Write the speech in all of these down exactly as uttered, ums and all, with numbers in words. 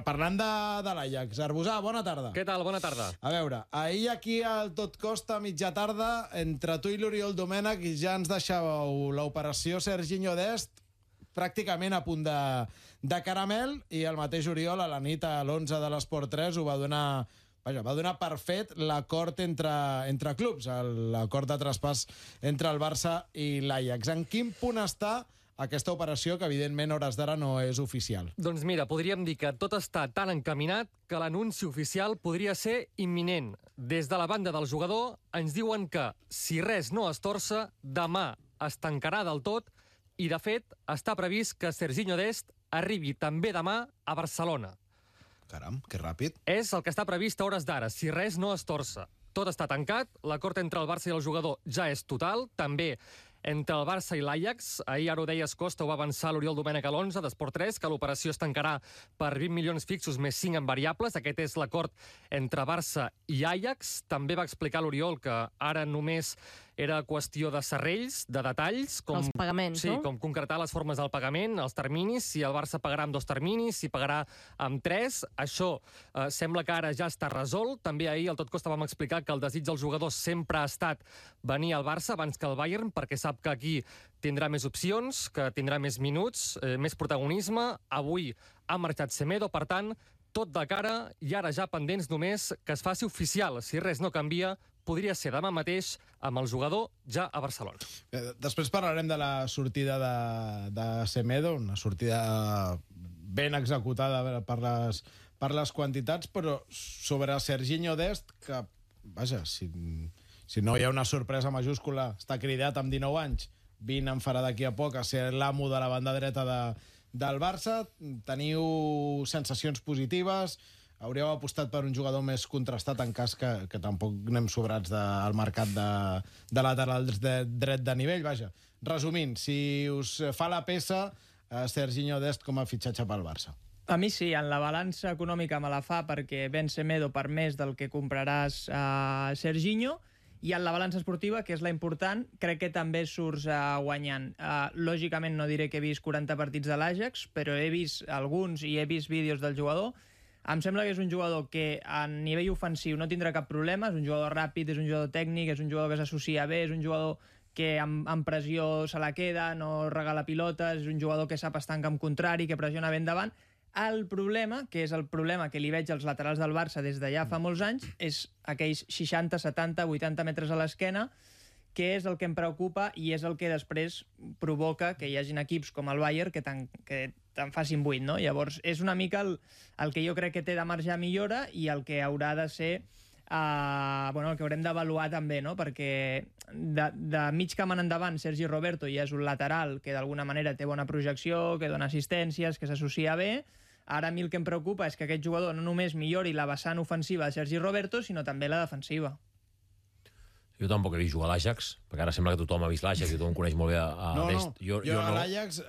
Parlant de, de l'Ajax, Arbusà, bona tarda. Què tal? Bona tarda. A veure, ahir aquí al Tot Costa, mitja tarda, entre tu i l'Oriol Domènech, ja ens deixàveu l'operació Serginho Dest pràcticament a punt de, de caramel, i el mateix Oriol a la nit a l'onze de l'Esport tres ho va donar... Vaja, va donar per fet l'acord entre, entre clubs, l'acord de traspàs entre el Barça i l'Ajax. En quin punt està aquesta operació, que evidentment a hores d'ara no és oficial? Doncs mira, podríem dir que tot està tan encaminat que l'anunci oficial podria ser imminent. Des de la banda del jugador ens diuen que, si res no es torça, demà es tancarà del tot, i de fet està previst que Serginho Dest arribi també demà a Barcelona. Caram, que ràpid. És el que està previst a hores d'ara, si res no es torça. Tot està tancat, l'acord entre el Barça i el jugador ja és total, també entre el Barça i l'Ajax. Ahir, ara ho deies, Costa, ho va avançar l'Oriol Domènech a l'onze d'Esport tres, que l'operació es tancarà per vint milions fixos més cinc en variables. Aquest és l'acord entre Barça i Ajax. També va explicar l'Oriol que ara només era qüestió de serrells, de detalls. Com, els pagaments, sí, no? Com concretar les formes del pagament, els terminis, si el Barça pagarà amb dos terminis, si pagarà amb tres. Això eh, sembla que ara ja està resolt. També ahir al Tot Costa vam explicar que el desig del jugador sempre ha estat venir al Barça abans que al Bayern, perquè sap que aquí tindrà més opcions, que tindrà més minuts, eh, més protagonisme. Avui ha marxat Semedo, per tant, tot de cara, i ara ja pendents només que es faci oficial. Si res no canvia, podria ser demà mateix amb el jugador ja a Barcelona. Després parlarem de la sortida de, de Semedo, una sortida ben executada per les, per les quantitats, però sobre Serginho Dest, que, vaja, si, si no hi ha una sorpresa majúscula, està cridat amb dinou anys, vint en farà d'aquí a poc a ser l'amo de la banda dreta de, del Barça. Teniu sensacions positives? Hauríeu apostat per un jugador més contrastat en cas que, que tampoc anem sobrats de, al mercat de, de laterals de dret de nivell? Vaja, resumint, si us fa la peça eh, Serginho Dest com a fitxatge pel Barça. A mi sí, en la balança econòmica me la fa, perquè ven Semedo per més del que compraràs a Serginho, i en la balança esportiva, que és la important, crec que també surts uh, guanyant. Uh, lògicament no diré que he vist quaranta partits de l'Ajax, però he vist alguns i he vist vídeos del jugador. Em sembla que és un jugador que a nivell ofensiu no tindrà cap problema, és un jugador ràpid, és un jugador tècnic, és un jugador que s'associa bé, és un jugador que amb, amb pressió se la queda, no regala pilotes, és un jugador que sap estar en camp contrari, que pressiona ben davant. El problema, que és el problema que li veig als laterals del Barça des de ja fa molts anys, és aquells seixanta, setanta, vuitanta metres a l'esquena, que és el que em preocupa i és el que després provoca que hi hagin equips com el Bayern que te'n que te'n facin vuit, no? Llavors, és una mica el, el que jo crec que té de marge a millora i el que haurà de ser uh, bueno, el que haurem d'avaluar també, no? Perquè de, de mig camp en endavant Sergi Roberto ja és un lateral que d'alguna manera té bona projecció, que dona assistències, que s'associa bé. Ara a mi el que em preocupa és que aquest jugador no només millori la vessant ofensiva de Sergi Roberto, sinó també la defensiva. Jo tampoc he vist jugar a l'Ajax, perquè ara sembla que tothom ha vist l'Ajax i tothom coneix molt bé a, a no, Dest. No, jo, jo, jo a no. l'Ajax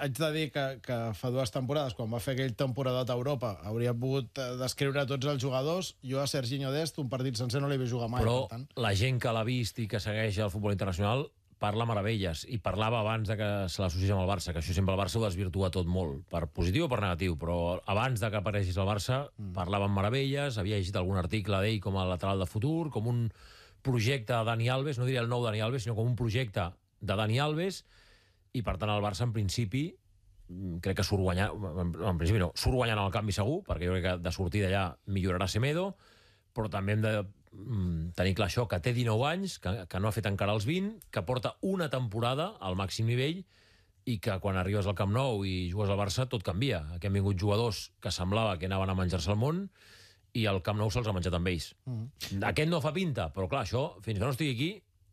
haig de dir que, que fa dues temporades, quan va fer aquell temporadat a Europa, hauria pogut descriure tots els jugadors. Jo a Serginho Dest un partit sencer no l'he vist jugar mai. Però per tant, la gent que l'ha vist i que segueix el futbol internacional parla meravelles, i parlava abans de que se l'associés amb el Barça, que això sempre el Barça ho desvirtua tot molt, per positiu o per negatiu, però abans de que apareixis al Barça mm. parlava amb meravelles, havia llegit algun article d'ell com a lateral de futur, com un projecte de Dani Alves, no diria el nou Dani Alves, sinó com un projecte de Dani Alves, i per tant el Barça en principi crec que surt guanyant, en principi no, surt guanyant el canvi segur, perquè jo crec que de sortida ja millorarà Semedo, però també hem de mm, tenir clar això, que té dinou anys, que, que no ha fet encara els vint, que porta una temporada al màxim nivell i que quan arribes al Camp Nou i jugues al Barça tot canvia. Aquí han vingut jugadors que semblava que anaven a menjar-se el món i el Camp Nou se'ls ha menjat amb ells. Mm. Aquest no fa pinta, però clar, això, fins que no estigui aquí,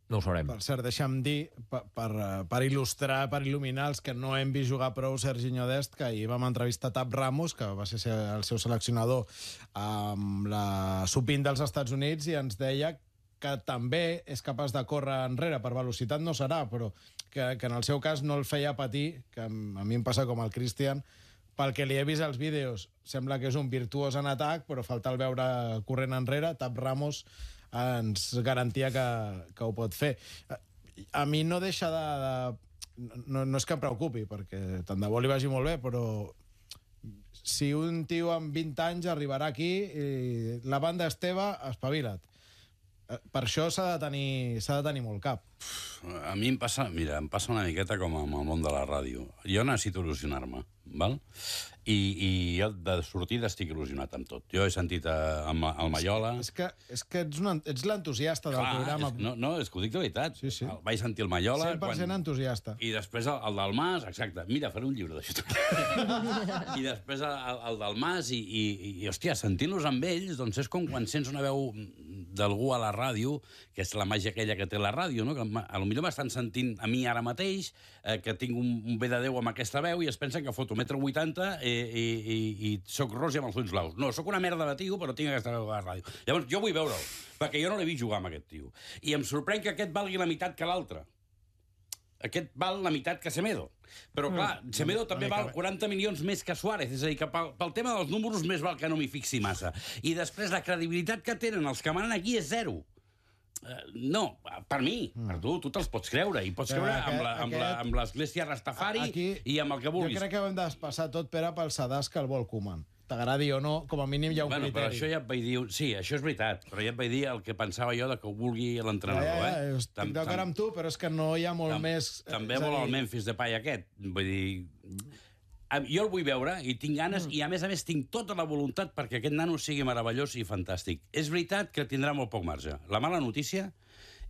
no ho sabrem. Per cert, deixa'm dir, per, per, per il·lustrar, per il·luminar els que no hem vist jugar prou Serginho Dest, que ahir vam entrevistar Tap Ramos, que va ser el seu seleccionador amb la sub vint dels Estats Units, i ens deia que també és capaç de córrer enrere. Per velocitat no serà, però que, que en el seu cas no el feia patir, que a mi em passa com al Christian, pel que li he vist als vídeos, sembla que és un virtuós en atac, però falta el veure corrent enrere. Tap Ramos ens garantia que, que ho pot fer. A mi no deixa de... de no, no és que em preocupi, perquè tant de bo li vagi molt bé, però si un tio amb vint anys arribarà aquí i la banda Esteve, espavila't. Per això s'ha de tenir, s'ha de tenir molt cap. A mi em passa, mira, em passa una miqueta com amb el món de la ràdio. Jo necessito il·lusionar-me, val? I, i jo de sortida estic il·lusionat amb tot. Jo he sentit a, a, al Maiola... És que, és que ets, una, ets l'entusiasta del Clar, programa. És, no, no, és que ho dic de veritat. Sí, sí. El, vaig sentir el Maiola... cent per cent quan... entusiasta. I després el, el del Mas, exacte. Mira, faré un llibre d'això. I després el, el del Mas, i, i, i hòstia, sentint-los amb ells, doncs és com quan sents una veu d'algú a la ràdio, que és la màgia aquella que té la ràdio, no? Que a lo millor m'estan sentint a mi ara mateix, eh, que tinc un, un bé de Déu amb aquesta veu, i es pensen que foto metro vuitanta i, i, i, i soc ros i amb els ulls blaus. No, sóc una merda de tio, però tinc aquesta veu a la ràdio. Llavors, jo vull veure'l, perquè jo no l'he vist jugar amb aquest tio. I em sorprèn que aquest valgui la meitat que l'altre. Aquest val la meitat que Semedo. Però, clar, mm. Semedo també val quaranta milions més que Suárez. És a dir, que pel, pel tema dels números més val que no m'hi fixi massa. I després la credibilitat que tenen els que manen aquí és zero. Uh, no, per mi, mm. per tu, tu te'ls pots creure. I pots creure aquest, amb, la, amb, la, amb l'església Rastafari aquí, i amb el que vulguis. Jo crec que hem de passar tot, Pere, pel sedàs que el vol Koeman. T'agradi o no, com a mínim hi ha un bueno, criteri. Però això ja et vaig dir... Sí, això és veritat, però ja et vaig dir el que pensava jo de que ho vulgui l'entrenador. Ja, ja, ja, eh? estic d'acord amb tu, però és que no hi ha molt tam, més... També vol el Memphis Depay aquest. Vull dir... Jo el vull veure i tinc ganes, mm. i a més a més tinc tota la voluntat perquè aquest nano sigui meravellós i fantàstic. És veritat que tindrà molt poc marge. La mala notícia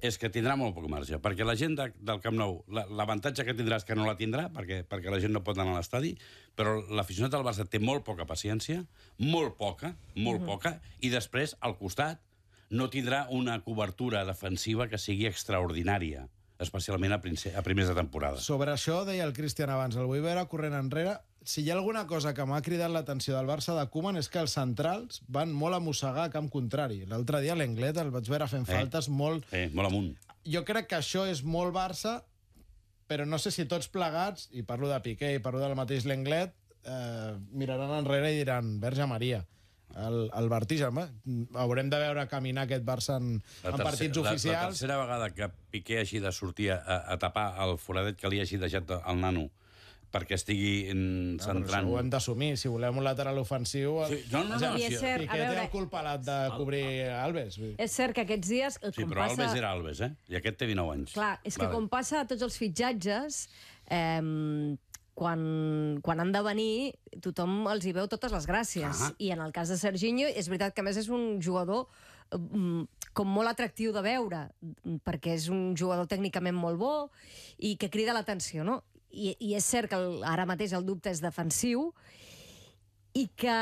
és que tindrà molt poc marge, perquè la gent de, del Camp Nou, l'avantatge que tindrà és que no la tindrà, perquè, perquè la gent no pot anar a l'estadi, però l'aficionat del Barça té molt poca paciència, molt poca, molt mm-hmm. poca, i després, al costat, no tindrà una cobertura defensiva que sigui extraordinària, especialment a, a primers de temporada. Sobre això, deia el Cristian abans, el vull veure corrent enrere. Si hi ha alguna cosa que m'ha cridat l'atenció del Barça de Koeman és que els centrals van molt a mossegar a camp contrari. L'altre dia l'Englet el vaig veure fent eh. faltes molt... Eh, molt amunt. Jo crec que això és molt Barça, però no sé si tots plegats, i parlo de Piqué i parlo del mateix l'Englet, eh, miraran enrere i diran, Verge Maria, el, el vertigen. Haurem de veure caminar aquest Barça en, en partits oficials. La, la tercera vegada que Piqué hagi de sortir a, a tapar el foradet que li hagi deixat al nano perquè estigui centrant... No, ho hem d'assumir. Si volem un lateral ofensiu... Sí, no, no, no. I és cert, Piqué té el culpalat de cobrir Alves. És cert que aquests dies... Sí, però passa... Alves era Alves, eh? I aquest té dinou anys. Clar, és que vale. Com passa a tots els fitxatges, eh, quan, quan han de venir, tothom els hi veu totes les gràcies. Ah. I en el cas de Serginho, és veritat que a més és un jugador com molt atractiu de veure, perquè és un jugador tècnicament molt bo i que crida l'atenció, no? I, i és cert que el, ara mateix el dubte és defensiu i que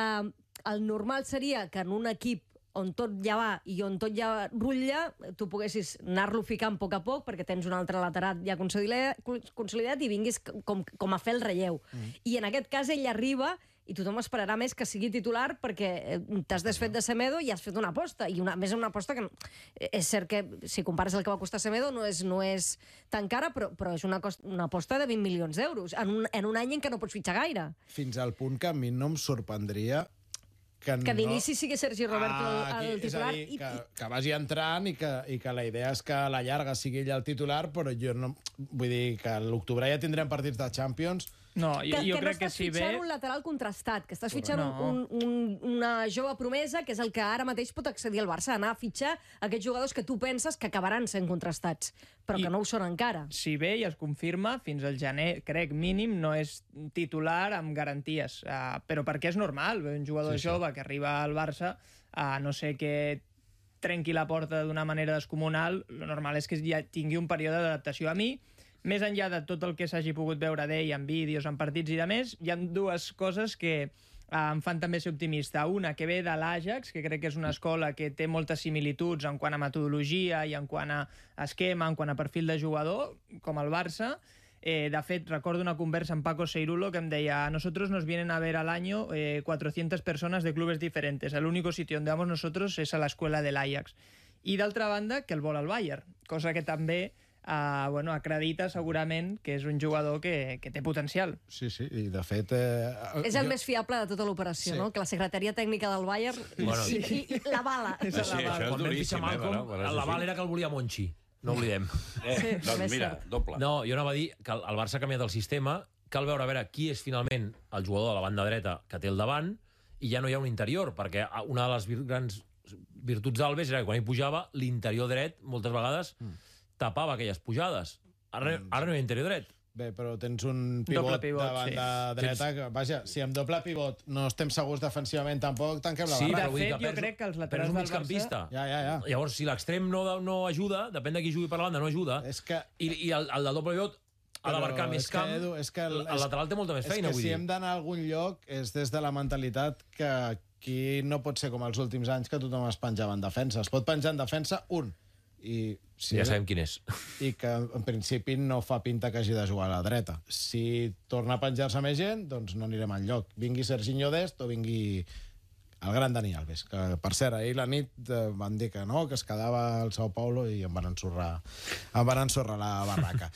el normal seria que en un equip on tot ja va i on tot ja rutlla, tu poguessis anar-lo ficant a poc a poc perquè tens un altre lateral ja consolidat, consolidat i vinguis com, com a fer el relleu. Mm. I en aquest cas ell arriba i tothom esperarà més que sigui titular perquè t'has desfet de Semedo i has fet una aposta. I una, més una aposta que és cert que, si compares el que va costar Semedo, no és, no és tan cara, però, però és una, cost, una aposta de vint milions d'euros en, un, en un any en què no pots fitxar gaire. Fins al punt que a mi no em sorprendria que, que d'inici no... sigui Sergi Roberto ah, el, el titular. És a dir, i... que, que vagi entrant i que, i que la idea és que a la llarga sigui ell el titular, però jo no... Vull dir que a l'octubre ja tindrem partits de Champions. No, jo, que, jo que crec no que si ve... ve... un lateral contrastat, que estàs fitxant no. un, un, una jove promesa, que és el que ara mateix pot accedir al Barça, anar a fitxar aquests jugadors que tu penses que acabaran sent contrastats, però I, que no ho són encara. Si ve i es confirma, fins al gener, crec, mínim, no és titular amb garanties. Uh, però perquè és normal, un jugador sí, jove sí. que arriba al Barça, uh, no sé què trenqui la porta d'una manera descomunal, lo normal és que ja tingui un període d'adaptació. A mi, més enllà de tot el que s'hagi pogut veure d'ell en vídeos, en partits i de més, hi ha dues coses que eh, em fan també ser optimista. Una, que ve de l'Ajax, que crec que és una escola que té moltes similituds en quant a metodologia i en quant a esquema, en quant a perfil de jugador, com el Barça. Eh, de fet, recordo una conversa amb Paco Seirulo que em deia: a nosotros nos vienen a ver al año eh, cuatrocientas personas de clubes diferentes. El único sitio donde vamos nosotros es a la escuela del Ajax. I d'altra banda, que el vol al Bayern, cosa que també Uh, bueno, acredita segurament que és un jugador que, que té potencial. Sí, sí, i de fet... Eh, és el jo... més fiable de tota l'operació, sí. no? Que la secretaria tècnica del Bayern bueno, sí. i, i la bala. Sí, sí, això és duríssim, eh, però, però la bala era que el volia Monchi. No oblidem. Eh, sí, doncs mira, doble. No, jo anava a dir que el Barça ha canviat el sistema cal veure a veure qui és finalment el jugador de la banda dreta que té el davant, i ja no hi ha un interior, perquè una de les vir grans virtuts d'Alves era que quan ell pujava, l'interior dret, moltes vegades, mm. tapava aquelles pujades. Ara, ara no hi ha interior dret. Bé, però tens un pivot, pivot de banda sí. dreta que, vaja, si amb doble pivot no estem segurs defensivament, tampoc tanquem la sí, barra. De fet, jo perds, crec que els laterals del Barça... Ja, ja, ja. Llavors, si l'extrem no, no ajuda, depèn de qui jugui per la banda, no ajuda, és que... i, i el, el del doble pivot ha d'abarcar més camp, que, Edu, és que el, el lateral té molta més feina, vull dir. És que si hem d'anar a algun lloc és des de la mentalitat que aquí no pot ser com els últims anys que tothom es penjava en defensa. Es pot penjar en defensa un, i si ja sabem quin és. I que en principi no fa pinta que hagi de jugar a la dreta. Si torna a penjar-se més gent, doncs no anirem enlloc. Vingui Serginho Dest o vingui el gran Dani Alves, que per cert, ahir la nit eh, van dir que no, que es quedava al Sao Paulo i em van ensorrar, em van ensorrar la barraca.